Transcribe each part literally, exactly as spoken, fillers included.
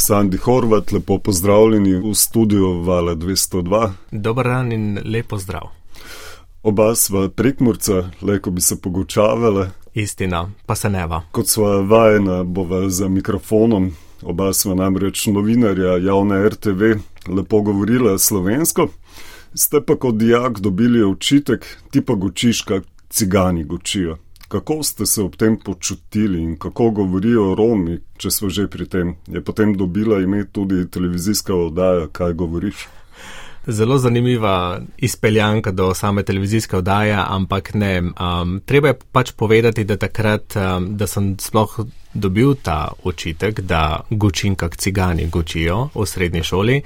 Sandi Horvat, lepo pozdravljeni v studiu Vala dvesto dva. Dober dan in lepo zdrav. Oba sva Prekmurca, lejko bi se pogučavale. Istina, pa se neva. Kot sva vajena, bova za mikrofonom, oba sva namreč novinarja javne R T V, lepo govorila slovensko. Ste pa kot dijak dobili očitek, ti pa gočiš, kak cigani gočijo. Kako ste se ob tem počutili in kako govorijo Romi, če smo že pri tem? Je potem dobila ime tudi televizijska oddaja, kaj govoriš? Zelo zanimiva izpeljanka do same televizijske oddaje, ampak ne. Um, treba je pač povedati, da takrat, um, da sem sploh dobil ta očitek, da gočim kak cigani gočijo v srednji šoli,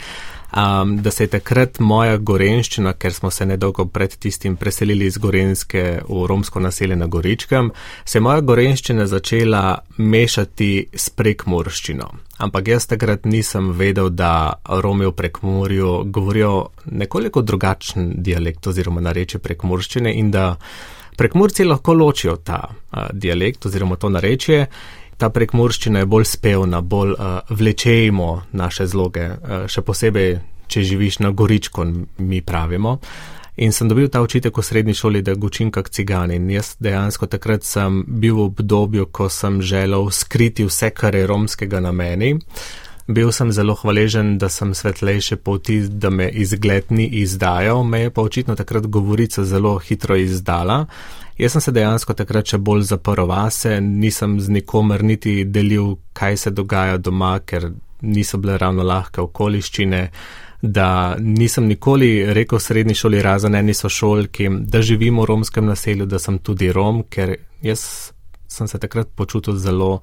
um, da se je takrat moja gorenščina, ker smo se nedolgo pred tistim preselili iz Gorenjske v romsko naselje na Goričkem, se je moja gorenščina začela mešati s prekmurščino. Ampak jaz takrat nisem vedel, da Romi v Prekmurju govorijo nekoliko drugačen dialekt oziroma narečje prekmurščine in da Prekmurci lahko ločijo ta uh, dialekt oziroma to narečje. Ta prekmurščina je bolj spevna, bolj uh, vlečejmo naše zloge, uh, še posebej, če živiš na Goričku, mi pravimo. In sem dobil ta očitek v srednji šoli, da gočim kak cigani. In jaz dejansko takrat sem bil v obdobju, ko sem želel skriti vse, kar je romskega na meni. Bil sem zelo hvaležen, da sem svetlejše poti, da me izgled ni izdajal, me je pa očitno takrat govorica zelo hitro izdala. Jaz sem se dejansko takrat še bolj zaprl vase, nisem z nikomer niti delil, kaj se dogaja doma, ker niso bile ravno lahke okoliščine, da nisem nikoli rekel v srednji šoli razen eni sošolki, da živim v romskem naselju, da sem tudi Rom, ker jaz sem se takrat počutil zelo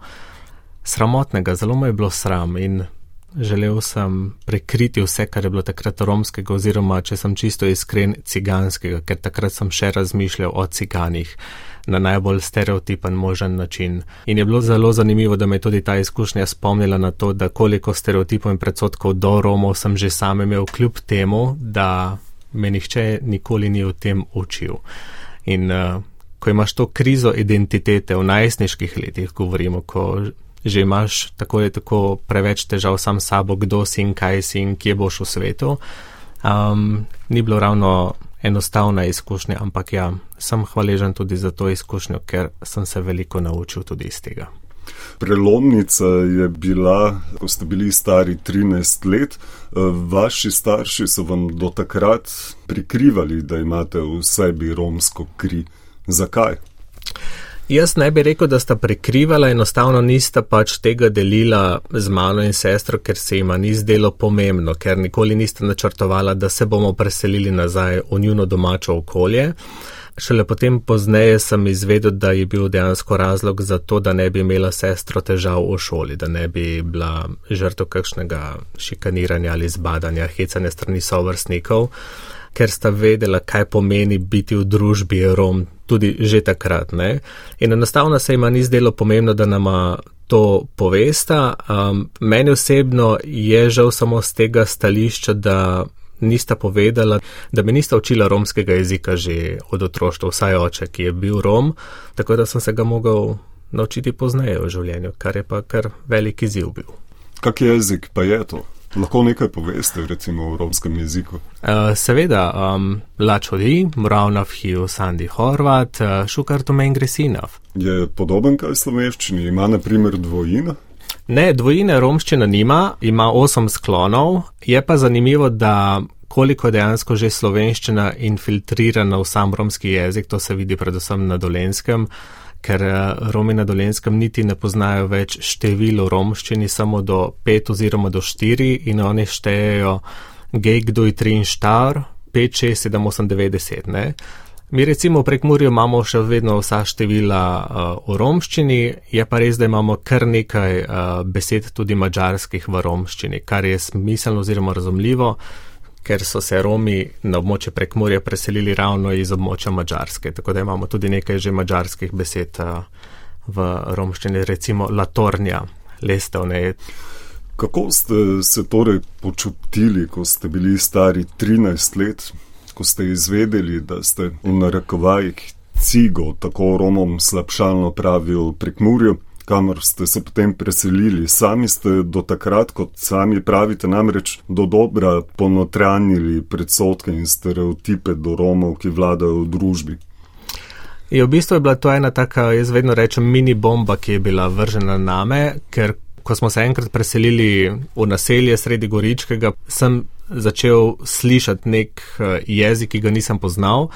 sramotnega, zelo me je bilo sram in želel sem prekriti vse, kar je bilo takrat romskega oziroma, če sem čisto iskren, ciganskega, ker takrat sem še razmišljal o ciganih na najbolj stereotipen možen način. In je bilo zelo zanimivo, da me je tudi ta izkušnja spomnila na to, da koliko stereotipov in predsotkov do Romov sem že sam imel kljub temu, da me nihče nikoli ni o tem učil. In uh, ko imaš to krizo identitete v najstniških letih, govorimo, ko že imaš tako ali tako preveč težav sam sabo, kdo si in kaj si in kje boš v svetu, um, ni bilo ravno enostavna izkušnja, ampak ja, sem hvaležen tudi za to izkušnjo, ker sem se veliko naučil tudi iz tega. Prelomnica je bila, ko ste bili stari trinajst let, vaši starši so vam do takrat prikrivali, da imate v sebi romsko kri. Zakaj? Jaz ne bi rekel, da sta prekrivala, enostavno nista pač tega delila z mano in sestro, ker se jima ni zdelo pomembno, ker nikoli nista načrtovala, da se bomo preselili nazaj v njuno domačo okolje. Šele potem pozneje sem izvedel, da je bil dejansko razlog za to, da ne bi imela sestro težav v šoli, da ne bi bila žrtev kakšnega šikaniranja ali zbadanja, hecanja strani sovrstnikov, ker sta vedela, kaj pomeni biti v družbi Rom, tudi že takrat, ne. In enostavno se jima ni zdelo pomembno, da nama to povesta. Um, meni osebno je žal samo z tega stališča, da nista povedala, da me nista učila romskega jezika že od otroštva, vsaj oče, ki je bil Rom, tako da sem se ga mogel naučiti pozneje v življenju, kar je pa kar velik izziv bil. Kak jezik pa je to? Lahko nekaj poveste, recimo v romskem jeziku? Uh, seveda, um, lačodi, mravnav hiu Sandi Horvat, uh, šukartu mengresinov. Je podoben kaj slovenščini? Ima na primer dvojina? Ne, dvojine romščina nima, ima osem sklonov, je pa zanimivo, da koliko je dejansko že slovenščina infiltrirana v sam romski jezik, to se vidi predvsem na Dolenjskem, ker Romi na Dolenjskem niti ne poznajo več število romščini, samo do pet oziroma do štiri in oni štejejo gej, kdoj, tri in štar, pet, šest, sedem, osem, devet, deset, ne. Mi recimo v Prekmurju imamo še vedno vsa števila uh, v romščini, je pa res, da imamo kar nekaj uh, besed tudi mađarskih v romščini, kar je smiselno oziroma razumljivo, ker so se Romi na območje Prekmurja preselili ravno iz območja Mađarske, tako da imamo tudi nekaj že mađarskih besed uh, v romščini, recimo latornja, lestev, ne. Kako ste se torej počutili, ko ste bili stari trinajst let? Ko ste izvedeli, da ste v narekovajih cigo, tako Romom slabšalno pravijo v Prekmurju, kamor ste se potem preselili. Sami ste do takrat, kot sami pravite, namreč do dobra ponotranjili predsodke in stereotipe do Romov, ki vladajo v družbi. Je, v bistvu je bila to ena taka, jaz vedno rečem, mini bomba, ki je bila vržena name, ker ko smo se enkrat preselili v naselje sredi Goričkega, sem začel slišati nek jezik, ki ga nisem poznal.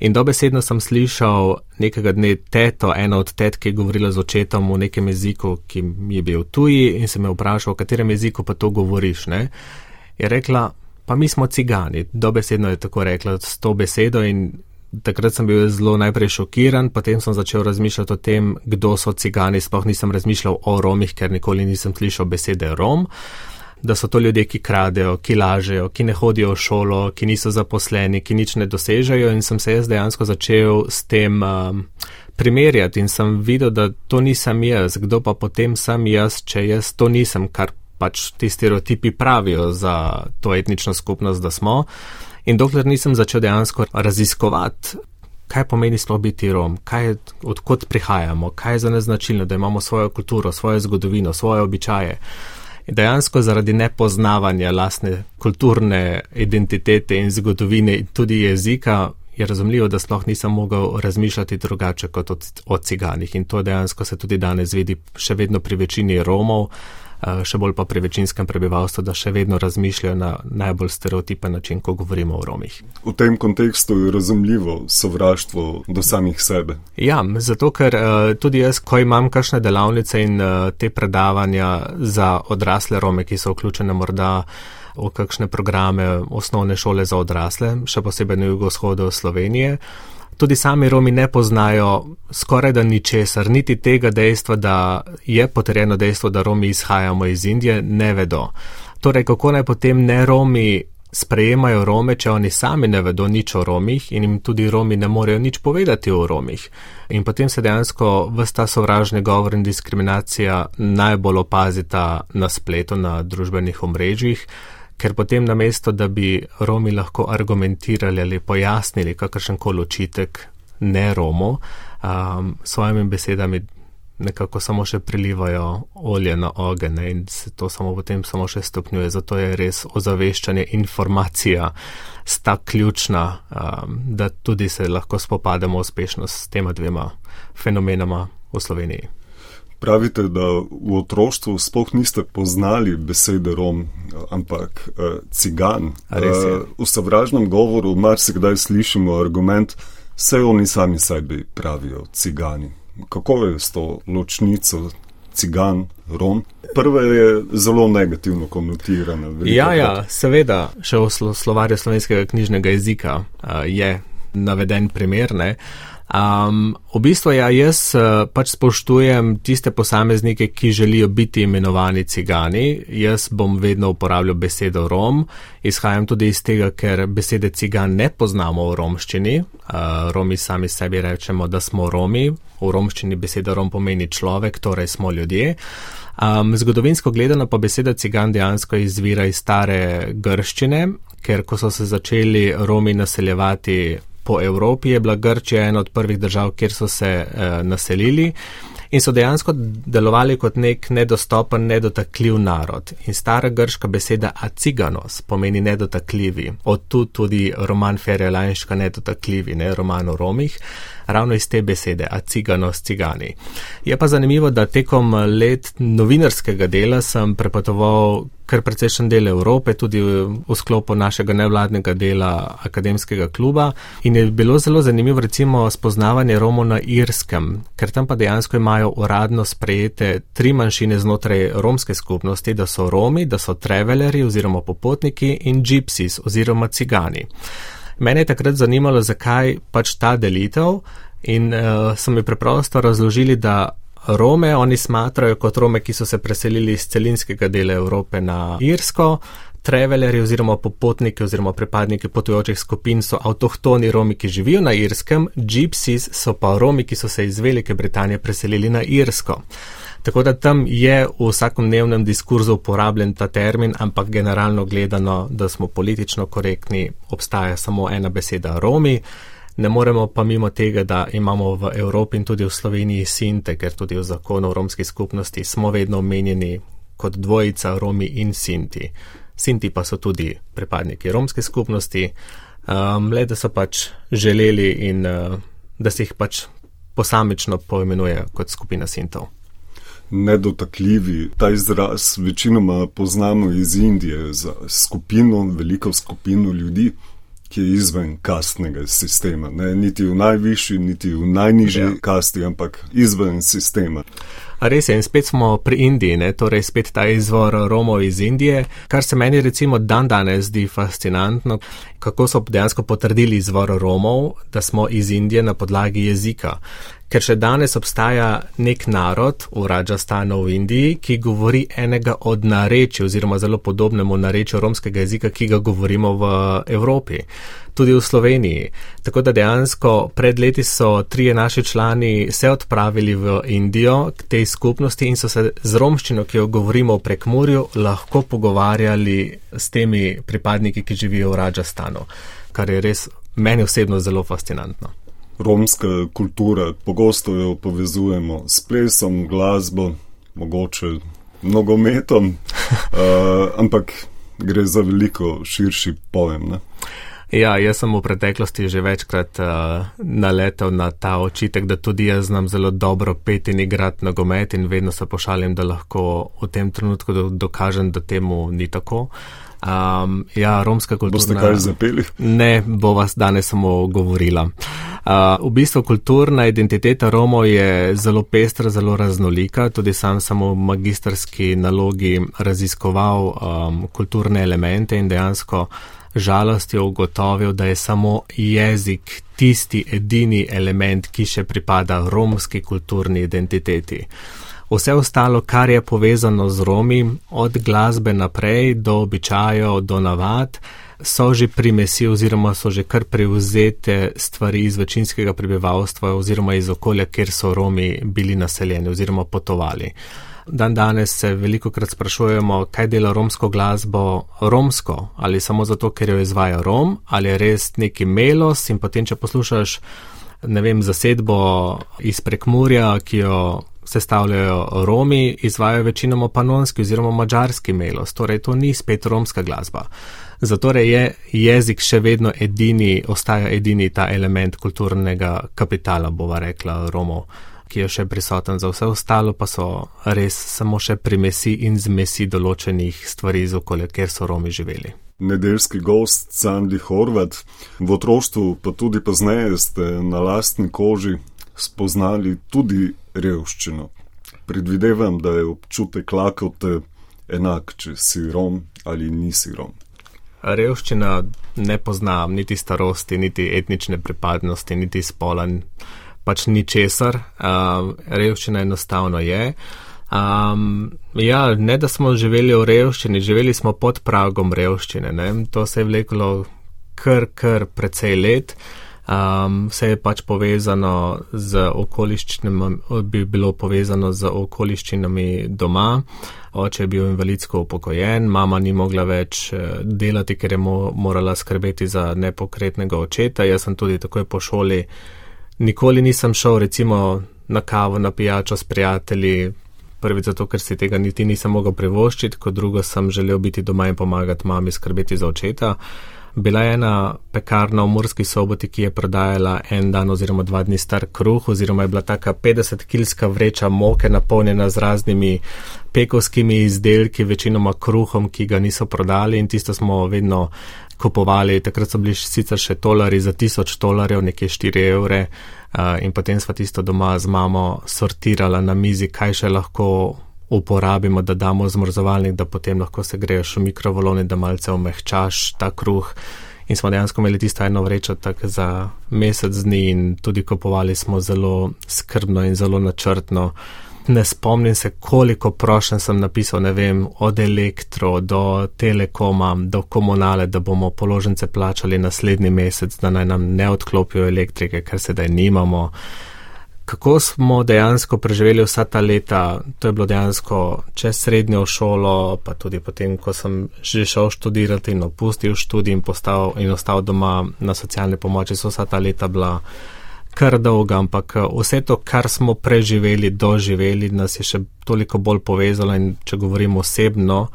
In dobesedno sem slišal nekega dne teto, ena od tet, ki je govorila z očetom v nekem jeziku, ki mi je bil tuji, in se me vprašal, v katerem jeziku pa to govoriš, ne? Je rekla, pa mi smo cigani. Dobesedno je tako rekla s to besedo in takrat sem bil zelo najprej šokiran, potem sem začel razmišljati o tem, kdo so cigani, sploh nisem razmišljal o Romih, ker nikoli nisem slišal besede Rom, da so to ljudje, ki kradejo, ki lažejo, ki ne hodijo v šolo, ki niso zaposleni, ki nič ne dosežejo, in sem se jaz dejansko začel s tem um, primerjati in sem videl, da to nisem jaz, kdo pa potem sem jaz, če jaz to nisem, kar pač ti stereotipi pravijo za to etnično skupnost, da smo. In dokler nisem začel dejansko raziskovati, kaj pomeni sploh biti Rom, kaj, odkot prihajamo, kaj je za nas značilno, da imamo svojo kulturo, svojo zgodovino, svoje običaje. In dejansko zaradi nepoznavanja lastne kulturne identitete in zgodovine in tudi jezika je razumljivo, da sploh nisem mogel razmišljati drugače kot o ciganih. In to dejansko se tudi danes vidi še vedno pri večini Romov, še bolj pa pri večinskem prebivalstvu, da še vedno razmišljajo na najbolj stereotipen način, ko govorimo o Romih. V tem kontekstu je razumljivo sovraštvo do samih sebe. Ja, zato ker tudi jaz, ko imam kakšne delavnice in te predavanja za odrasle Rome, ki so vključene morda v kakšne programe osnovne šole za odrasle, še posebej na jugovzhodu Slovenije, tudi sami Romi ne poznajo skoraj da ničesar, niti tega dejstva, da je potrjeno dejstvo, da Romi izhajamo iz Indije, ne vedo. Torej, kako naj potem ne Romi sprejemajo Rome, če oni sami ne vedo nič o Romih in jim tudi Romi ne morejo nič povedati o Romih. In potem se dejansko ves ta sovražni govor in diskriminacija najbolj opazita na spletu, na družbenih omrežjih, ker potem namesto, da bi Romi lahko argumentirali ali pojasnili kakršenkoli očitek ne Romu, um, svojimi besedami nekako samo še prilivajo olje na ogenj in se to samo potem samo še stopnjuje. Zato je res ozaveščanje, informacija sta ključna, um, da tudi se lahko spopademo uspešno s tema dvema fenomenama v Sloveniji. Pravite, da v otroštvu sploh niste poznali besede Rom, ampak uh, cigan. Uh, v sovražnem govoru marsikdaj slišimo argument, saj oni sami sebi pravijo cigani. Kako je s to ločnico cigan, Rom? Prva je zelo negativno konotirana. Ja, ja, seveda, še v slo- slovarju slovenskega knjižnega jezika uh, je naveden primer, ne. Um, v bistvu ja, jaz uh, pač spoštujem tiste posameznike, ki želijo biti imenovani cigani. Jaz bom vedno uporabljal besedo Rom. Izhajam tudi iz tega, ker besede cigan ne poznamo v romščini. Uh, Romi sami sebi rečemo, da smo Romi. V romščini beseda Rom pomeni človek, torej smo ljudje. Um, zgodovinsko gledano pa beseda cigan dejansko izvira iz stare grščine, ker ko so se začeli Romi naseljevati po Evropi, je bila Grčija ena od prvih držav, kjer so se eh, naselili in so dejansko delovali kot nek nedostopen, nedotakljiv narod. In stara grška beseda aciganos pomeni nedotakljivi. Od tu tudi roman Ferija Lajnška Nedotakljivi, ne, roman o Romih, ravno iz te besede, aciganos, cigani. Je pa zanimivo, da tekom let novinarskega dela sem prepotoval kar precejšen del Evrope, tudi v sklopu našega nevladnega dela akademskega kluba, in je bilo zelo zanimivo recimo spoznavanje Romov na Irskem, ker tam pa dejansko imajo uradno sprejete tri manjšine znotraj romske skupnosti, da so Romi, da so travelerji oziroma popotniki in gypsies oziroma cigani. Mene je takrat zanimalo, zakaj pač ta delitev, in uh, so mi preprosto razložili, da Rome oni smatrajo kot Rome, ki so se preselili iz celinskega dela Evrope na Irsko. Travelerji oziroma popotniki oziroma pripadniki potujočih skupin so avtohtoni Romi, ki živijo na Irskem, gypsies so pa Romi, ki so se iz Velike Britanije preselili na Irsko. Tako da tam je v vsakodnevnem diskurzu uporabljen ta termin, ampak generalno gledano, da smo politično korektni, obstaja samo ena beseda Romi. Ne moremo pa mimo tega, da imamo v Evropi in tudi v Sloveniji Sinte, ker tudi v zakonu o romski skupnosti smo vedno omenjeni kot dvojica Romi in Sinti. Sinti pa so tudi pripadniki romske skupnosti, um, le da so pač želeli in uh, da se jih pač posamično poimenuje kot skupina Sintov. Nedotakljivi, ta izraz večinoma poznamo iz Indije za skupino, veliko skupino ljudi, ki je izven kastnega sistema. Ne? Niti v najvišji, niti v najnižji ja. kasti, ampak izven sistema. A res je, in spet smo pri Indiji, ne? Torej spet ta izvor Romov iz Indije, kar se meni recimo dan danes zdi fascinantno, kako so dejansko potrdili izvor Romov, da smo iz Indije na podlagi jezika. Ker še danes obstaja nek narod v Rajasthanu v Indiji, ki govori enega od narečij oziroma zelo podobnemu narečju romskega jezika, ki ga govorimo v Evropi, tudi v Sloveniji. Tako da dejansko pred leti so trije naši člani se odpravili v Indijo k tej skupnosti in so se z romščino, ki jo govorimo v Prekmurju, lahko pogovarjali s temi pripadniki, ki živijo v Rajasthanu, kar je res meni osebno zelo fascinantno. Romska kultura, pogosto jo povezujemo s plesom, glasbo, mogoče nogometom, uh, ampak gre za veliko širši pojem, ne? Ja, jaz sem v preteklosti že večkrat uh, naletel na ta očitek, da tudi jaz znam zelo dobro peti in igrati nogomet in vedno se pošalim, da lahko v tem trenutku do, dokažem, da temu ni tako. Um, ja, romska kulturna... Boste kaj zapeli? Ne, bo vas danes samo govorila. Uh, v bistvu kulturna identiteta Romov je zelo pestra, zelo raznolika. Tudi sam sem v magistrski nalogi raziskoval um, kulturne elemente in dejansko žalost je ugotovil, da je samo jezik tisti edini element, ki še pripada romski kulturni identiteti. Vse ostalo, kar je povezano z Romi, od glasbe naprej do običajev, do navad, so že primesi oziroma so že kar prevzete stvari iz večinskega prebivalstva oziroma iz okolja, kjer so Romi bili naseljeni oziroma potovali. Dan danes se velikokrat sprašujemo, kaj dela romsko glasbo romsko, ali samo zato, ker jo izvaja Rom, ali je res neki melos in potem, če poslušaš, ne vem, zasedbo iz Prekmurja, ki jo sestavljajo Romi, izvajajo večinoma panonski oziroma mađarski melos, torej to ni spet romska glasba. Zato je jezik še vedno edini, ostaja edini ta element kulturnega kapitala, bova rekla, Romov, ki je še prisoten. Za vse ostalo pa so res samo še primesi in zmesi določenih stvari iz okolja, kjer so Romi živeli. Nedeljski gost Sandi Horvat, v otroštvu pa tudi pozneje ste na lastni koži spoznali tudi revščino. Predvidevam, da je občutek lakote enak, če si Rom ali nisi Rom. Revščina ne pozna niti starosti, niti etnične pripadnosti, niti spola, pač ničesar. Uh, revščina enostavno je. Um, ja, ne da smo živeli v revščini, živeli smo pod pragom revščine. Ne? To se je vleklo kar, kar precej let. Um, vse je pač povezano z okoliščinami, bi bilo povezano z okoliščinami doma. Oče je bil invalidsko upokojen, mama ni mogla več delati, ker je mo- morala skrbeti za nepokretnega očeta. Jaz sem tudi takoj po šoli nikoli nisem šel recimo na kavo, na pijačo s prijatelji, prvič zato, ker si tega niti nisem mogel privoščiti, kot drugo sem želel biti doma in pomagati mami skrbeti za očeta. Bila je ena pekarna v Murski Soboti, ki je prodajala en dan oziroma dva dni star kruh, oziroma je bila taka petdesetkilska vreča moke napolnjena z raznimi pekovskimi izdelki, večinoma kruhom, ki ga niso prodali, in tisto smo vedno kupovali. Takrat so bili sicer še tolari za tisoč tolarjev, nekje štiri evre, in potem sva tisto doma z mamo sortirala na mizi, kaj še lahko uporabimo, da damo v zmrzovalnik, da potem lahko se greješ v mikrovalovni, da malce omehčaš ta kruh. In smo dejansko imeli tisto eno vrečo tak za mesec dni in tudi kupovali smo zelo skrbno in zelo načrtno. Ne spomnim se, koliko prošenj sem napisal, ne vem, od Elektro do Telekoma, do Komunale, da bomo položnice plačali naslednji mesec, da naj nam ne odklopijo elektrike, ker sedaj nimamo. kako smo dejansko preživeli vsa ta leta, to je bilo dejansko čez srednjo šolo, pa tudi potem, ko sem že šel študirati in opustil študij in, postal, in ostal doma na socialne pomoči, so vsa ta leta bila kar dolga, ampak vse to, kar smo preživeli, doživeli, nas je še toliko bolj povezalo in če govorim osebno,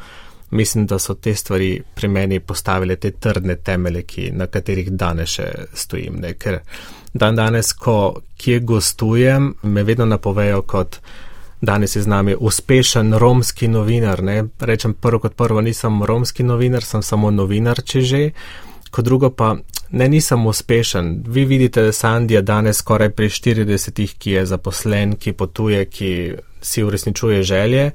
mislim, da so te stvari pri meni postavile te trdne temelje, ki, na katerih danes še stojim. Ne? Ker dan danes, ko kje gostujem, me vedno napovejo kot danes je z nami uspešen romski novinar. Ne? Rečem prvo kot prvo, nisem romski novinar, sem samo novinar, če že. Kot drugo pa, ne, nisem uspešen. Vi vidite Sandija danes skoraj pri štiridesetih, ki je zaposlen, ki potuje, ki si uresničuje želje,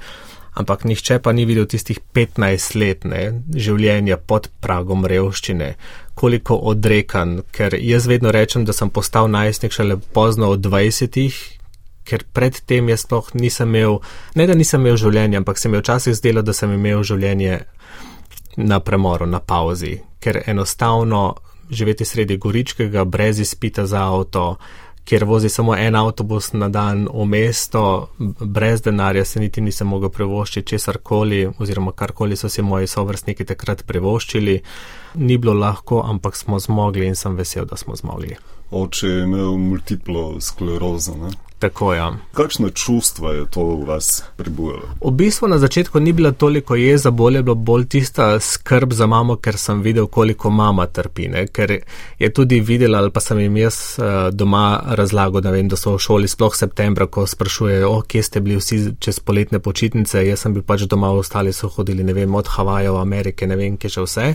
ampak nihče pa ni videl tistih petnajst let ne, življenja pod pragom revščine, koliko odrekan, ker jaz vedno rečem, da sem postal najstnik šele pozno od dvajsetih, ker predtem jaz sploh nisem imel, ne da nisem imel življenja, ampak se mi včasih zdelo, da sem imel življenje na premoru, na pauzi, ker enostavno živeti sredi Goričkega, brez izpita za avto, kjer vozi samo en avtobus na dan v mesto, brez denarja se niti nisem mogel privoščiti česarkoli, oziroma karkoli so si moji sovrstniki takrat privoščili. Ni bilo lahko, ampak smo zmogli in sem vesel, da smo zmogli. Oče je imel multiplo sklerozo, ne? Tako, ja. Kakšne čustva je to v vas prebujalo? V bistvu na začetku ni bila toliko jeza, bolj je bilo bolj tista skrb za mamo, ker sem videl, koliko mama trpi, ne? Ker je tudi videla, ali pa sem jim jaz uh, doma razlagal, da vem, da so v šoli sploh septembra, ko sprašujejo, o, kje ste bili vsi čez poletne počitnice, jaz sem bil pač doma, ostali so hodili, ne vem, od Havajev, Amerike, ne vem, kje še vse.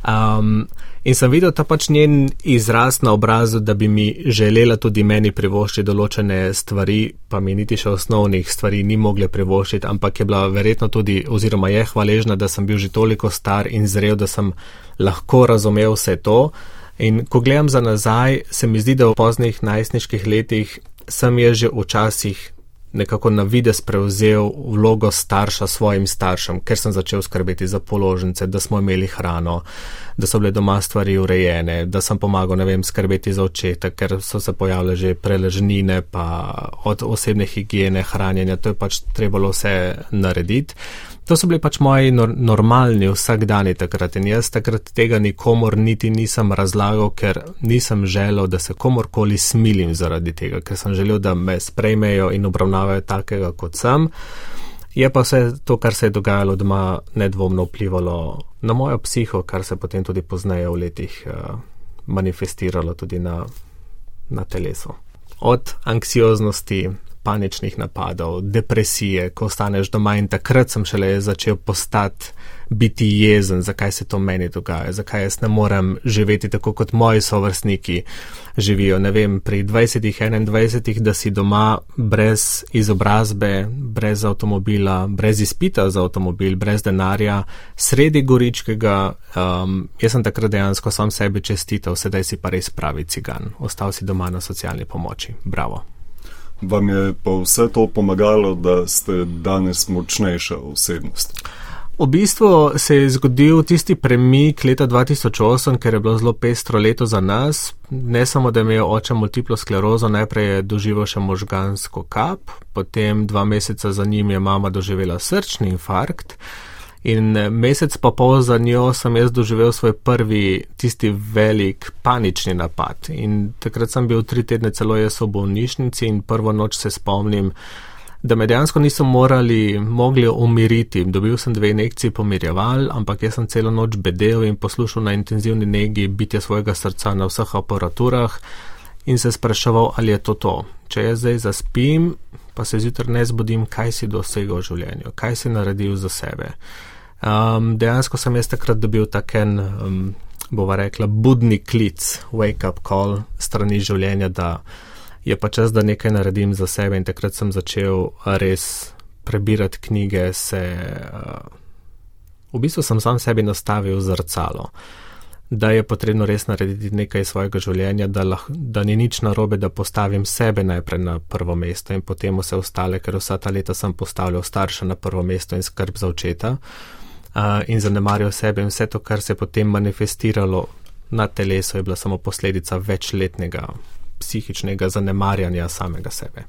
Um, in sem videl ta pač njen izraz na obrazu, da bi mi želela tudi meni privoščiti določene stvari, pa mi niti še osnovnih stvari ni mogle privoščiti, ampak je bila verjetno tudi, oziroma je hvaležna, da sem bil že toliko star in zrel, da sem lahko razumel vse to. In ko gledam za nazaj, se mi zdi, da v poznih najstniških letih sem je že včasih nekako na videz prevzel vlogo starša svojim staršem, ker sem začel skrbeti za položnice, da smo imeli hrano, da so bile doma stvari urejene, da sem pomagal, ne vem, skrbeti za očeta, ker so se pojavile že preležnine, pa od osebne higiene, hranjenja, to je pač trebalo vse narediti. To so bili pač moji nor- normalni vsakdani takrat in jaz takrat tega nikomor niti nisem razlagal, ker nisem želel, da se komorkoli smilim zaradi tega, ker sem želel, da me sprejmejo in obravnavajo takega, kot sem. Je pa vse to, kar se je dogajalo doma, nedvomno vplivalo na mojo psiho, kar se potem tudi pozneje v letih uh, manifestiralo tudi na, na telesu. Od anksioznosti, paničnih napadov, depresije, ko ostaneš doma in takrat sem šele začel postati, biti jezen, zakaj se to meni dogaja, zakaj jaz ne morem živeti tako, kot moji sovrstniki živijo, ne vem, pri dvajsetih, enaindvajsetih, da si doma brez izobrazbe, brez avtomobila, brez izpita za avtomobil, brez denarja, sredi Goričkega, um, jaz sem takrat dejansko sam sebi čestital, sedaj si pa res pravi cigan, ostal si doma na socialni pomoči, bravo. Vam je pa vse to pomagalo, da ste danes močnejša osebnost? V bistvu se je zgodil tisti premik leta dva tisoč osem, ker je bilo zelo pestro leto za nas. Ne samo, da je imel oče multiplo sklerozo, najprej je doživel še možgansko kap, potem dva meseca za njim je mama doživela srčni infarkt in mesec pa pol za njo sem jaz doživel svoj prvi tisti velik panični napad. In takrat sem bil tri tedne celo jaz v bolnišnici in prvo noč se spomnim, da me dejansko niso morali, mogli umiriti. Dobil sem dve injekciji pomirjeval, ampak jaz sem celo noč bedel in poslušal na intenzivni negi bitje svojega srca na vseh aparaturah in se spraševal, ali je to to. Če jaz zdaj zaspim, pa se zjutraj ne zbudim, kaj si dosegel v življenju, kaj si naredil za sebe. Um, dejansko sem jaz takrat dobil taken, um, bova rekla, budni klic, wake up call strani življenja, da je pa čas, da nekaj naredim za sebe in takrat sem začel res prebirati knjige, se, uh, v bistvu sem sam sebi nastavil zrcalo, da je potrebno res narediti nekaj svojega življenja, da, lah, da ni nič narobe, da postavim sebe najprej na prvo mesto in potem vse ostale, ker vsa ta leta sem postavljal starša na prvo mesto in skrb za očeta uh, in zanemarjal sebe in vse to, kar se je potem manifestiralo na telesu, je bila samo posledica večletnega psihičnega zanemarjanja samega sebe.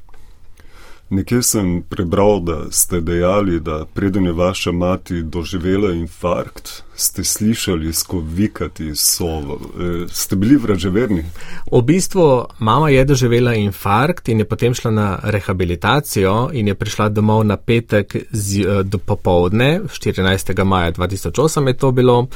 Nekje sem prebral, da ste dejali, da preden je vaša mati doživela infarkt, ste slišali skovikati sovo. E, ste bili vraževerni? V bistvu mama je doživela infarkt in je potem šla na rehabilitacijo in je prišla domov na petek z, do popovdne, štirinajstega maja dva tisoč osem je to bilo.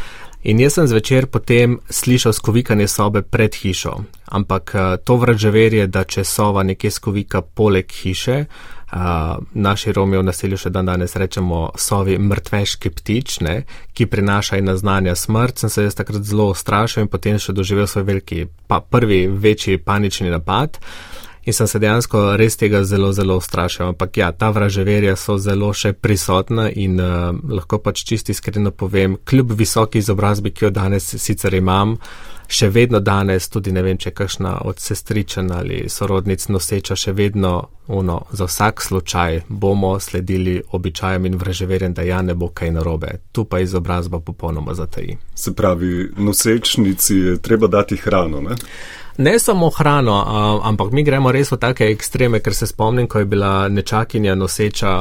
In jaz sem zvečer potem slišal skovikanje sobe pred hišo, ampak to vraževerje, da če sova nekje skovika poleg hiše, uh, naši Romi v naselju še dan danes rečemo sovi mrtveški ptič, ne, ki prinaša in naznanja smrt, sem se jaz takrat zelo ustrašil in potem še doživel svoj veliki, pa prvi večji panični napad. In sem se dejansko res tega zelo, zelo ustrašil. Ampak ja, ta vraževerja so zelo še prisotna in uh, lahko pač čisto iskreno povem, kljub visoki izobrazbi, ki jo danes sicer imam, še vedno danes, tudi ne vem, če kakšna od sestričen ali sorodnic noseča, še vedno ono, za vsak slučaj bomo sledili običajem in vraževerjem, da ja ne bo kaj narobe. Tu pa izobrazba popolnoma zataji. Se pravi, nosečnici je treba dati hrano, ne? Ne samo hrano, ampak mi gremo res v take ekstreme, ker se spomnim, ko je bila nečakinja noseča,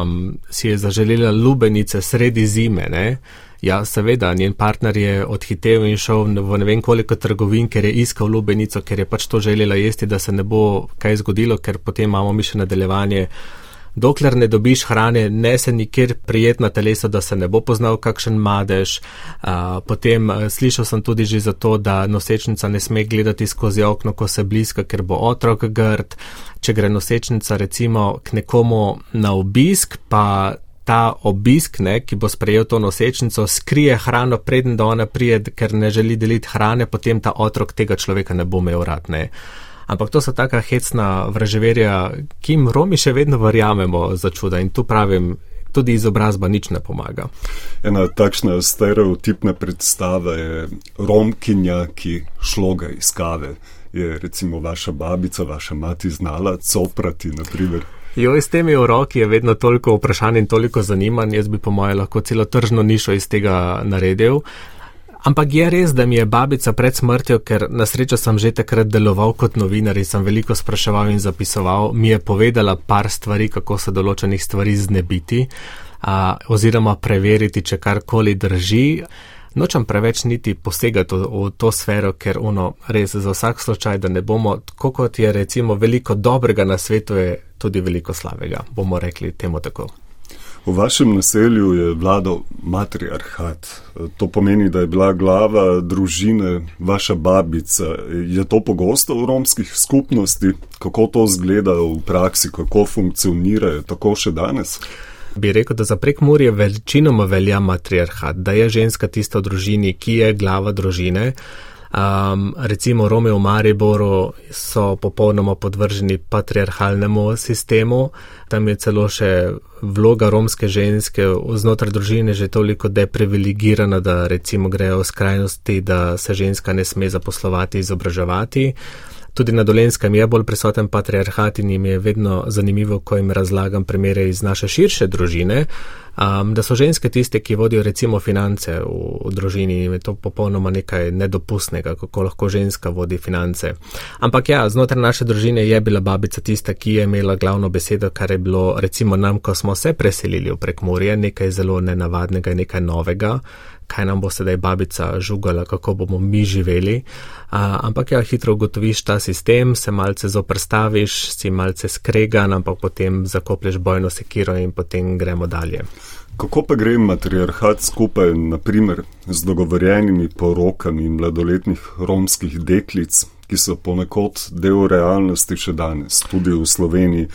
um, si je zaželela lubenice sredi zime, ne? Ja, seveda, njen partner je odhitev in šel v ne vem koliko trgovin, ker je iskal lubenico, ker je pač to želela jesti, da se ne bo kaj zgodilo, ker potem imamo mi še nadaljevanje. Dokler ne dobiš hrane, ne se nikjer prijetna telesa, da se ne bo poznal kakšen madež. Uh, potem uh, slišal sem tudi že za to, da nosečnica ne sme gledati skozi okno, ko se bliska, ker bo otrok grd. Če gre nosečnica recimo k nekomu na obisk, pa ta obisk, ne, ki bo sprejel to nosečnico, skrije hrano preden da ona prije, ker ne želi deliti hrane, potem ta otrok tega človeka ne bo imel rad, ne. Ampak to so taka hecna vraževerja, ki jim Romi še vedno verjamemo za čuda in tu pravim, tudi izobrazba nič ne pomaga. Ena takšna stereotipna predstava je Romkinja, ki šloga iz kave. Je recimo vaša babica, vaša mati znala coprati, na primer? Jo, s temi v roki je vedno toliko vprašanj in toliko zanimanj, jaz bi po moje lahko celo tržno nišo iz tega naredil. Ampak je res, da mi je babica pred smrtjo, ker na srečo sem že takrat deloval kot novinar in sem veliko spraševal in zapisoval, mi je povedala par stvari, kako se določenih stvari znebiti a, oziroma preveriti, če karkoli drži. Nočem preveč niti posegati v, v to sfero, ker ono res za vsak slučaj, da ne bomo, tako kot je recimo veliko dobrega na svetu, je tudi veliko slabega, bomo rekli temu tako. V vašem naselju je vladal matriarhat. To pomeni, da je bila glava družine vaša babica. Je to pogosto v romskih skupnosti? Kako to izgleda v praksi? Kako funkcionira? Tako še danes? Bi rekel, da za Prekmurje večinoma velja matriarhat, da je ženska tista v družini, ki je glava družine. Um, recimo Romi v Mariboru so popolnoma podvrženi patriarhalnemu sistemu, tam je celo še vloga romske ženske znotraj družine že toliko deprivilegirana, da recimo grejo v skrajnosti, da se ženska ne sme zaposlovati, izobraževati. Tudi na Dolenjskem je bolj prisoten patriarhat in jim je vedno zanimivo, ko jim razlagam primere iz naše širše družine, um, da so ženske tiste, ki vodijo recimo finance v, v družini in je to popolnoma nekaj nedopustnega, kako lahko ženska vodi finance. Ampak ja, znotraj naše družine je bila babica tista, ki je imela glavno besedo, kar je bilo recimo nam, ko smo se preselili v Prekmurje, nekaj zelo nenavadnega in nekaj novega, kaj nam bo sedaj babica žugala, kako bomo mi živeli. A, ampak ja, hitro ugotoviš ta sistem, se malce zoprstaviš, si malce skregan, ampak potem zakoplješ bojno sekiro in potem gremo dalje. Kako pa gre matriarhat skupaj, na primer, z dogovorjenimi porokami mladoletnih romskih deklic, ki so ponekod del realnosti še danes, tudi v Sloveniji?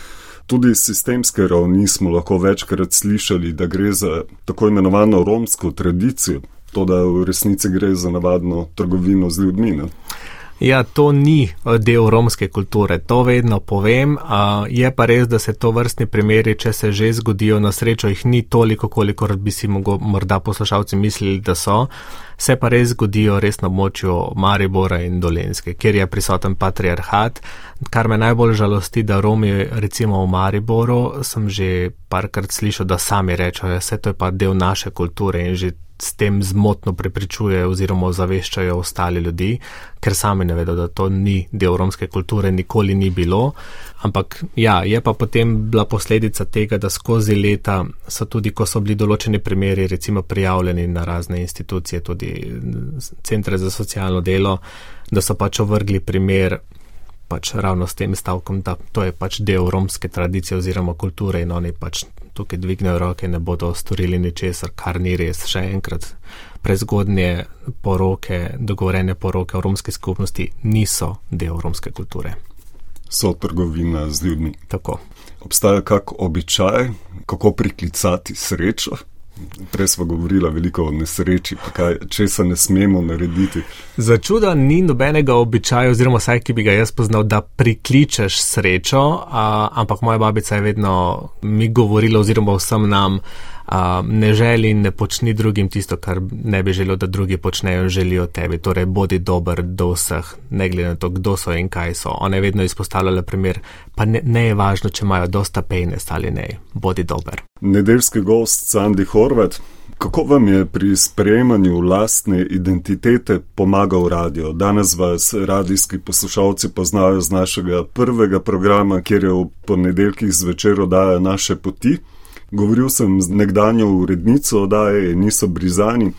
Tudi iz sistemske ravni smo lahko večkrat slišali, da gre za tako imenovano romsko tradicijo, to da v resnici gre za navadno trgovino z ljudmi, ne? Ja, to ni del romske kulture, to vedno povem, a je pa res, da se to vrstni primeri, če se že zgodijo, na srečo jih ni toliko, kolikor bi si mogo, morda poslušalci mislili, da so, se pa res zgodijo res na območju Maribora in Dolenjske, kjer je prisoten patriarhat, kar me najbolj žalosti, da Romi recimo v Mariboru, sem že parkrat slišal, da sami rečejo, vse to je pa del naše kulture in že s tem zmotno prepričujejo oziroma ozaveščajo ostali ljudi, ker sami ne vedo, da to ni del romske kulture, nikoli ni bilo. Ampak ja, je pa potem bila posledica tega, da skozi leta so tudi, ko so bili določeni primeri recimo prijavljeni na razne institucije, tudi centre za socialno delo, da so pač ovrgli primer pač ravno s tem stavkom, da to je pač del romske tradicije oziroma kulture in oni pač tukaj dvignejo roke, ne bodo storili ničesar, kar ni res. Še enkrat, prezgodnje poroke, dogovorene poroke v romski skupnosti niso del romske kulture. So trgovina z ljudmi. Tako. Obstaja kak običaj, kako priklicati srečo? Prej smo govorila veliko o nesreči, pa kaj, česa ne smemo narediti. Za čuda ni nobenega običaja, oziroma vsaj, ki bi ga jaz poznal, da prikličeš srečo, a, ampak moja babica je vedno mi govorila oziroma vsem nam, a, ne želi in ne počni drugim tisto, kar ne bi želel, da drugi počnejo in želijo tebi. Torej, bodi dober do vseh, ne glede na to, kdo so in kaj so. Ona je vedno izpostavljala primer, pa ne, ne je važno, če imajo dosta pejnes ali ne, bodi dober. Nedeljski gost Sandi Horvat, kako vam je pri sprejemanju lastne identitete pomagal radio? Danes vas radijski poslušalci poznajo z našega prvega programa, kjer je v ponedeljkih zvečer oddaja Naše poti. Govoril sem z nekdanjo urednico oddaje Niso Brizani,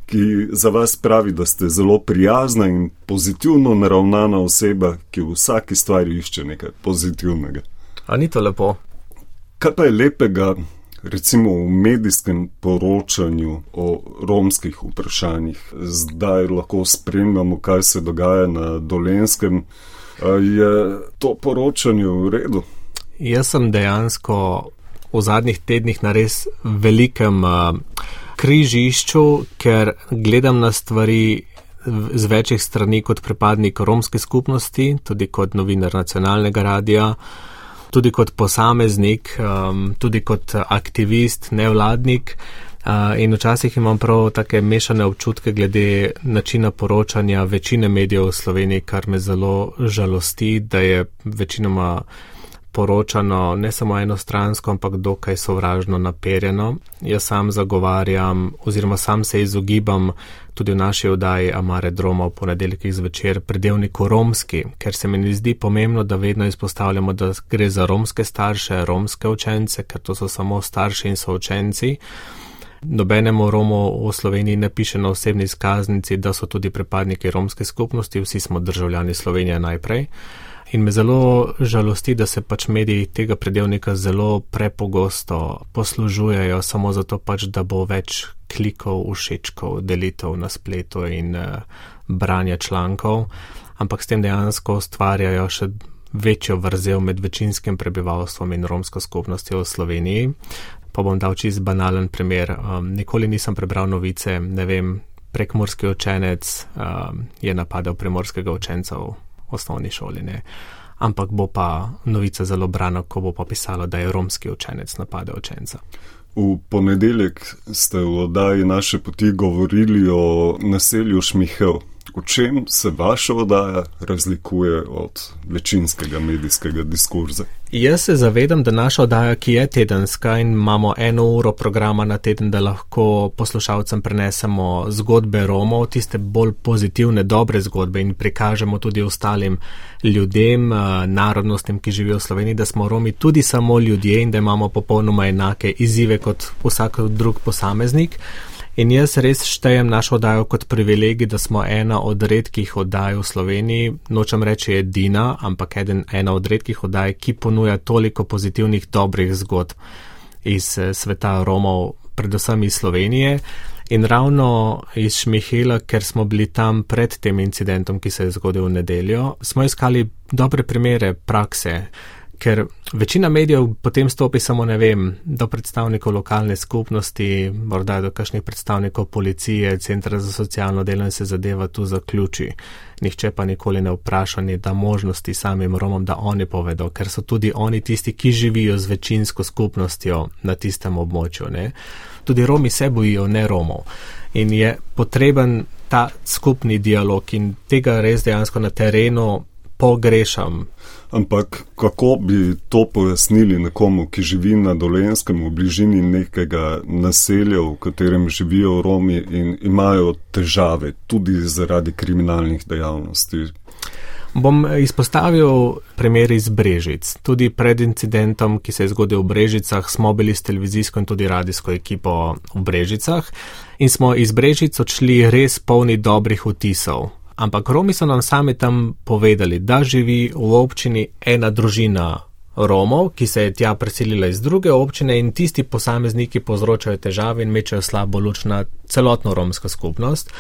ki za vas pravi, da ste zelo prijazna in pozitivno naravnana oseba, ki v vsaki stvari išče nekaj pozitivnega. A ni to lepo? Kaj pa je lepega, recimo v medijskem poročanju o romskih vprašanjih? Zdaj lahko spremljamo, kaj se dogaja na Dolenjskem. Je to poročanje v redu? Jaz sem dejansko v zadnjih tednih na res velikem uh, križišču, ker gledam na stvari z večjih strani kot pripadnik romske skupnosti, tudi kot novinar nacionalnega radija, tudi kot posameznik, um, tudi kot aktivist, nevladnik. Uh, in včasih imam prav take mešane občutke glede načina poročanja večine medijev v Sloveniji, kar me zelo žalosti, da je večinoma poročano ne samo enostransko, ampak dokaj sovražno naperjeno. Jaz sam zagovarjam oziroma sam se izogibam tudi v naši oddaji Amare Droma v ponedeljkih zvečer pridevniku romski, ker se mi ne zdi pomembno, da vedno izpostavljamo, da gre za romske starše, romske učence, ker to so samo starši in so učenci. Nobenemu Romu v Sloveniji ne piše na osebni izkaznici, da so tudi pripadniki romske skupnosti, vsi smo državljani Slovenije najprej. In me zelo žalosti, da se pač mediji tega pridevnika zelo prepogosto poslužujejo samo zato pač, da bo več klikov, všečkov, delitev na spletu in uh, branja člankov, ampak s tem dejansko ustvarjajo še večjo vrzel med večinskim prebivalstvom in romsko skupnostjo v Sloveniji. Pa bom dal čisto banalen primer. Um, nikoli nisem prebral novice, ne vem, prekmurski učenec um, je napadel primorskega učenca v osnovni šoli, ne. Ampak bo pa novica zelo brana, ko bo pa pisalo, da je romski učenec napadel učenca. V ponedeljek ste v oddaji Naše poti govorili o naselju Šmihelj. V čem se vaša oddaja razlikuje od večinskega medijskega diskurza? Jaz se zavedam, da naša oddaja, ki je tedenska in imamo eno uro programa na teden, da lahko poslušalcem prenesemo zgodbe Romov, tiste bolj pozitivne, dobre zgodbe in prikažemo tudi ostalim ljudem, narodnostim, ki živijo v Sloveniji, da smo Romi tudi samo ljudje in da imamo popolnoma enake izzive kot vsak drug posameznik. In jaz res štejem našo oddajo kot privilegij, da smo ena od redkih oddaj v Sloveniji, nočem reči edina, ampak eden, ena od redkih oddaj, ki ponuja toliko pozitivnih, dobrih zgodb iz sveta Romov, predvsem iz Slovenije. In ravno iz Šmihelja, ker smo bili tam pred tem incidentom, ki se je zgodil v nedeljo, smo iskali dobre primere prakse, ker večina medijev potem stopi samo, ne vem, do predstavnikov lokalne skupnosti, morda do kakšnih predstavnikov policije, centra za socialno delo in se zadeva tu zaključi. Nihče pa nikoli ne vpraša, ni da možnosti samim Romom, da oni povedo, ker so tudi oni tisti, ki živijo z večinsko skupnostjo na tistem območju, ne. Tudi Romi se bojijo, ne Romov. In je potreben ta skupni dialog in tega res dejansko na terenu pogrešam. Ampak kako bi to pojasnili nekomu, ki živi na Dolenjskem v bližini nekega naselja, v katerem živijo Romi in imajo težave tudi zaradi kriminalnih dejavnosti? Bom izpostavil primer iz Brežic. Tudi pred incidentom, ki se je zgodil v Brežicah, smo bili s televizijsko in tudi radijsko ekipo v Brežicah in smo iz Brežic odšli res polni dobrih vtisov. Ampak Romi so nam sami tam povedali, da živi v občini ena družina Romov, ki se je tja preselila iz druge občine in tisti posamezniki povzročajo težave in mečejo slabo luč na celotno romsko skupnost.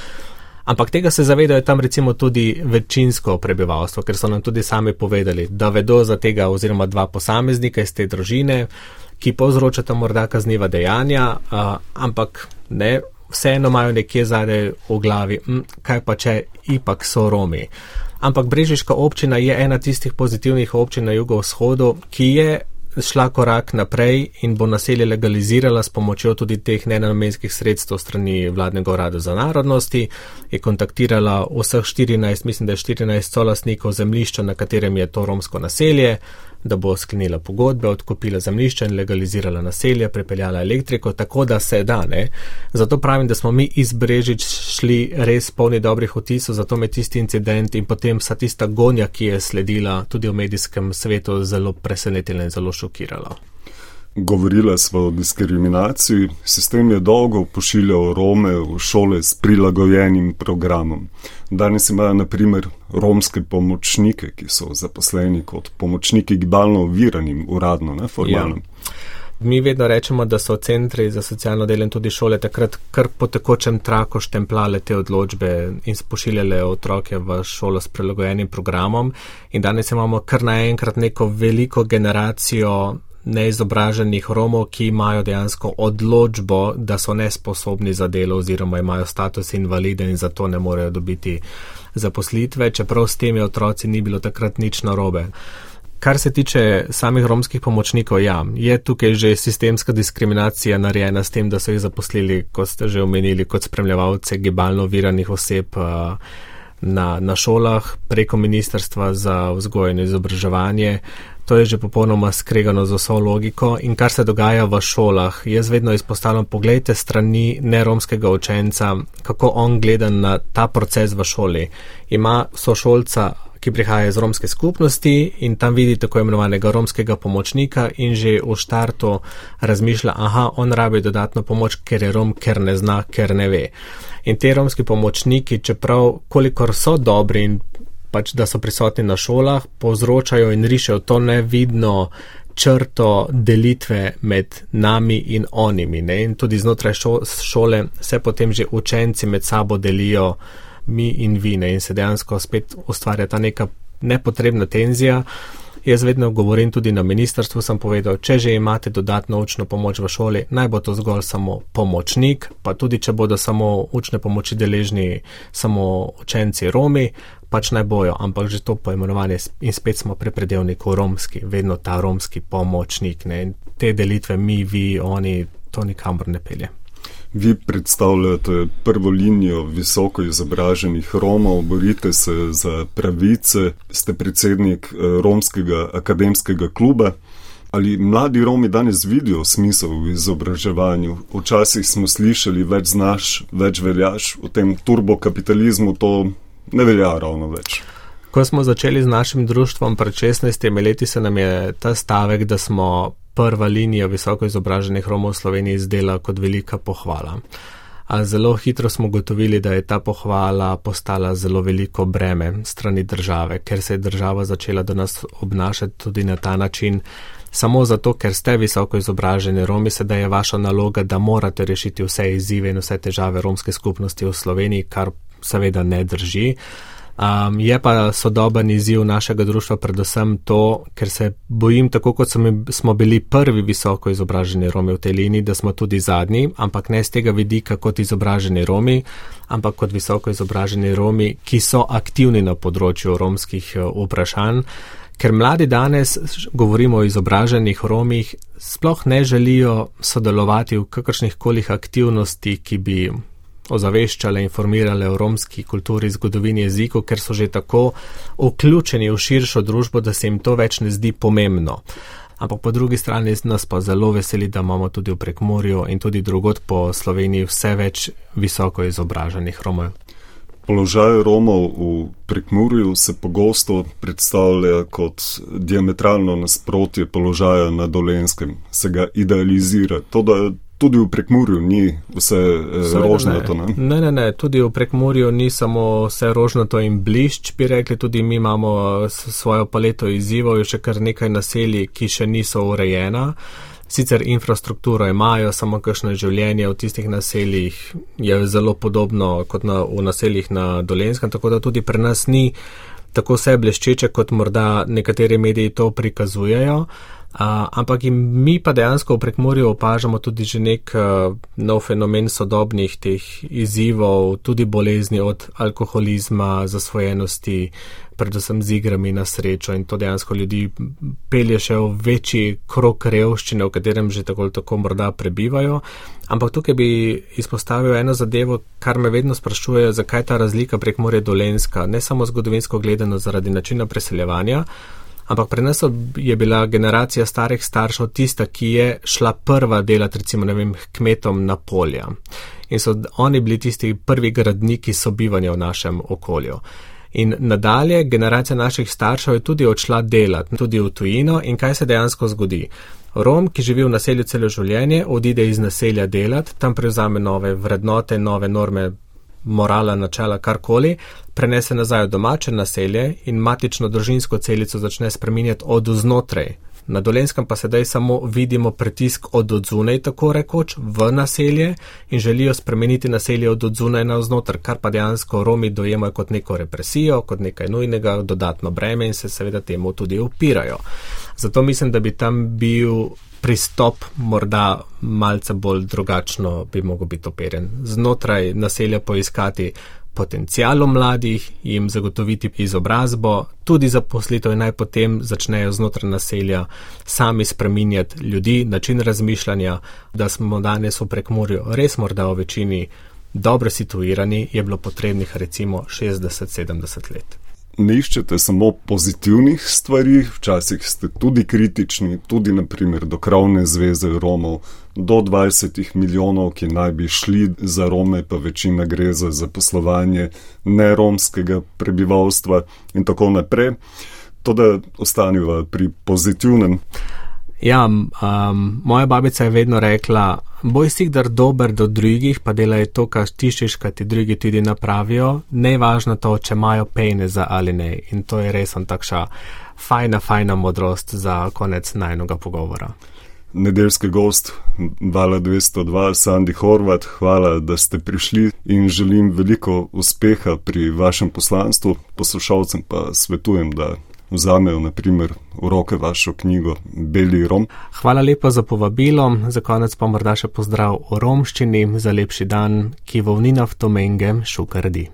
Ampak tega se zavedajo tam recimo tudi večinsko prebivalstvo, ker so nam tudi sami povedali, da vedo za tega oziroma dva posameznika iz te družine, ki povzročata morda kazniva dejanja, uh, ampak ne, vseeno imajo nekje zadaj v glavi, hm, kaj pa če ipak so Romi. Ampak Brežiška občina je ena tistih pozitivnih občin na jugovzhodu, ki je šla korak naprej in bo naselje legalizirala s pomočjo tudi teh nenamenskih sredstev strani vladnega urada za narodnosti, je kontaktirala vseh štirinajst, mislim, da je štirinajst solastnikov zemljišča, na katerem je to romsko naselje, da bo sklenila pogodbe, odkupila zemljišča in legalizirala naselje, prepeljala elektriko, tako da se da, ne. Zato pravim, da smo mi iz Brežic šli res polni dobrih vtisov, zato me tisti incident in potem vsa tista gonja, ki je sledila tudi v medijskem svetu, zelo presenetila in zelo šokirala. Govorila smo o diskriminaciji. Sistem je dolgo pošiljal Rome v šole s prilagojenim programom. Danes imajo na primer romske pomočnike, ki so zaposleni kot pomočniki gibalno oviranim, uradno, ne formalno. Ja. Mi vedno rečemo, da so centri za socialno delo in tudi šole takrat kar po tekočem traku štempljale te odločbe in pošiljale otroke v šolo s prilagojenim programom. In danes imamo kar naenkrat neko veliko generacijo neizobraženih Romov, ki imajo dejansko odločbo, da so nesposobni za delo oziroma imajo status invalide in zato ne morejo dobiti zaposlitve, čeprav s temi otroci ni bilo takrat nič narobe. Kar se tiče samih romskih pomočnikov, ja, je tukaj že sistemska diskriminacija narejena s tem, da so jih zaposlili, kot ste že omenili, kot spremljevalce gibalno oviranih oseb na, na šolah preko Ministrstva za vzgojo in izobraževanje. To je že popolnoma skregano z vso logiko in kar se dogaja v šolah, jaz vedno izpostavljam, poglejte strani neromskega učenca, kako on gleda na ta proces v šoli. Ima sošolca, ki prihaja iz romske skupnosti in tam vidi tako imenovanega romskega pomočnika in že v štartu razmišlja, aha, on rabi dodatno pomoč, ker je Rom, ker ne zna, ker ne ve. In te romski pomočniki, čeprav kolikor so dobri in pač da so prisotni na šolah, povzročajo in rišejo to nevidno črto delitve med nami in onimi. Ne? In tudi znotraj šole se potem že učenci med sabo delijo mi in vi, ne? In se dejansko spet ustvarja ta neka nepotrebna tenzija. Jaz vedno govorim tudi na ministrstvu, sem povedal, če že imate dodatno učno pomoč v šoli, naj bo to zgolj samo pomočnik, pa tudi če bodo samo učne pomoči deležni samo učenci Romi, pač naj bojo, ampak že to poimenovanje in spet smo pri predevniku romski, vedno ta romski pomočnik, ne? In te delitve mi, vi, oni, to nikamor ne pelje. Vi predstavljate prvo linijo visoko izobraženih Romov, borite se za pravice, ste predsednik romskega akademskega kluba. Ali mladi Romi danes vidijo smisel v izobraževanju? Včasih smo slišali, več znaš, več veljaš, v tem turbokapitalizmu to ne velja ravno več. Ko smo začeli z našim društvom pred šestnajstimi leti, se nam je ta stavek, da smo prva linija visoko izobraženih Romov v Sloveniji izdela kot velika pohvala. A zelo hitro smo gotovili, da je ta pohvala postala zelo veliko breme strani države, ker se je država začela do nas obnašati tudi na ta način. Samo zato, ker ste visoko izobraženi Romi, sedaj je vaša naloga, da morate rešiti vse izzive in vse težave romske skupnosti v Sloveniji, kar seveda ne drži. Um, je pa sodoben izziv našega društva predvsem to, ker se bojim, tako kot smo bili prvi visoko izobraženi Romi v tej liniji, da smo tudi zadnji, ampak ne z tega vidika kot izobraženi Romi, ampak kot visoko izobraženi Romi, ki so aktivni na področju romskih vprašanj, ker mladi danes, govorimo o izobraženih Romih, sploh ne želijo sodelovati v kakršnih kolih aktivnosti, ki bi ozaveščale, informirale o romski kulturi, zgodovini, jeziku, ker so že tako vključeni v širšo družbo, da se jim to več ne zdi pomembno. Ampak po drugi strani nas pa zelo veseli, da imamo tudi v Prekmurju in tudi drugod po Sloveniji vse več visoko izobraženih Romov. Položaj Romov v Prekmurju se pogosto predstavlja kot diametralno nasprotje položaja na Dolenjskem. Se ga idealizira. To, da tudi v Prekmurju ni vse rožnato, ne? Ne, ne, ne. Tudi v Prekmurju ni samo vse rožnato in blišč, bi rekli. Tudi mi imamo svojo paleto izzivov, še kar nekaj naselij, ki še niso urejena. Sicer infrastrukturo imajo, samo kakšno življenje v tistih naseljih je zelo podobno kot na, v naseljih na Dolenjskem, tako da tudi pri nas ni tako vse bleščeče, kot morda nekateri mediji to prikazujejo. Uh, ampak mi pa dejansko v Prekmurju opažamo tudi že nek uh, nov fenomen sodobnih teh izzivov, tudi bolezni od alkoholizma, zasvojenosti, predvsem z igrami na srečo in to dejansko ljudi pelje še v večji krog revščine, v katerem že tako ali tako morda prebivajo. Ampak tukaj bi izpostavil eno zadevo, kar me vedno sprašuje, zakaj ta razlika Prekmurje Dolenjska, ne samo zgodovinsko gledano zaradi načina preseljevanja, ampak pri nas je bila generacija starih staršev tista, ki je šla prva delati, recimo, ne vem, kmetom na polja. In so oni bili tisti prvi gradniki sobivanja v našem okolju. In nadalje, generacija naših staršev je tudi odšla delati, tudi v tujino in kaj se dejansko zgodi? Rom, ki živi v naselju celo življenje, odide iz naselja delati, tam prevzame nove vrednote, nove norme, morala, načela, karkoli, prenese nazaj v domače naselje in matično družinsko celico začne spreminjati od znotraj. Na Dolenjskem pa sedaj samo vidimo pritisk od odzunaj, tako rekoč, v naselje in želijo spremeniti naselje od odzunaj na vznotr, kar pa dejansko Romi dojemajo kot neko represijo, kot nekaj nujnega, dodatno breme in se seveda temu tudi upirajo. Zato mislim, da bi tam bil pristop morda malce bolj drugačno bi mogel biti operjen. Znotraj naselja poiskati potencialom mladih, jim zagotoviti izobrazbo, tudi zaposlitev in naj potem začnejo znotraj naselja sami spreminjati ljudi, način razmišljanja, da smo danes v Prekmurju res morda v večini dobro situirani, je bilo potrebnih recimo šestdeset sedemdeset let. Ne iščete samo pozitivnih stvari, včasih ste tudi kritični, tudi naprimer do Krovne zveze Romov, do dvajset milijonov, ki naj bi šli za Rome, pa večina gre za zaposlovanje neromskega prebivalstva in tako naprej. To, da ostaneva pri pozitivnem. Ja, um, moja babica je vedno rekla, boj si kdar dober do drugih, pa delaj to, kar tišiš, kar ti drugi tudi napravijo, ne važno to, če imajo peneza ali ne. In to je res takša fajna, fajna modrost za konec najnega pogovora. Nedeljski gost Vala dvesto dva, Sandi Horvat, hvala, da ste prišli in želim veliko uspeha pri vašem poslanstvu. Poslušalcem pa svetujem, da vzamejo naprimer v roke vašo knjigo Beli Rom. Hvala lepa za povabilo, za konec pa morda še pozdrav o romščini, za lepši dan, ki vovnina v Tomenge šukardi.